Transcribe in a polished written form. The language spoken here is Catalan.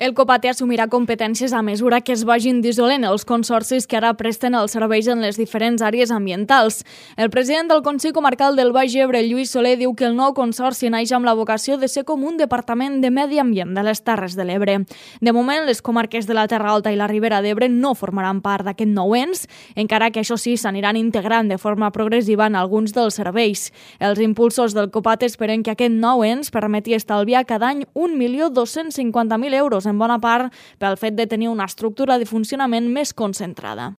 El Copate assumirà competències a mesura que es vagin dissolent els consorcis que ara presten els serveis en les diferents àrees ambientals. El president del Consell Comarcal del Baix Ebre, Lluís Soler, diu que el nou consorci naix amb la vocació de ser com un departament de medi ambient de les Terres de l'Ebre. De moment, les comarques de la Terra Alta i la Ribera d'Ebre no formaran part d'aquest nou ens, encara que això sí s'aniran integrant de forma progressiva en alguns dels serveis. Els impulsors del Copate esperen que aquest nou ens permeti estalviar cada any 1.250.000 euros, en bona part pel fet de tenir una estructura de funcionament més concentrada.